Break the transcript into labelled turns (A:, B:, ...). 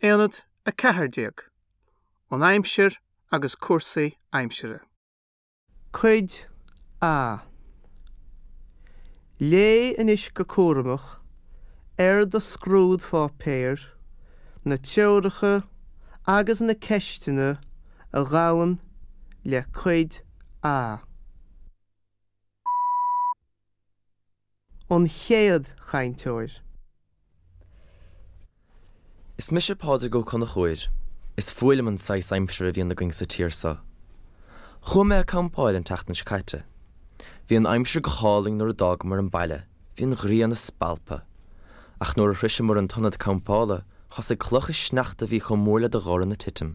A: Aonad 14, An Aimsir agus Cúrsaí Aimsire. Cuid A. Léigh anois go cúramach ar do scrúdpháipéar na treoracha agus na ceisteanna a ghabhann le Cuid A. An chéad chainteoir.
B: Is mise Pádraig Ó Conchúir. Is fuath liom an saghas aimsire a bhíonn againn sa tír so. Chuaigh mé ag campáil an tseachtain seo caite. Bhí an aimsir go hálainn nuair a d'fhágamar an baile, bhí an ghrian ag spalpadh. Ach nuair a shroiseamar an t-ionad campála, thosaigh clocha sneachta a bhí chomh mór le do dhorn ag titim.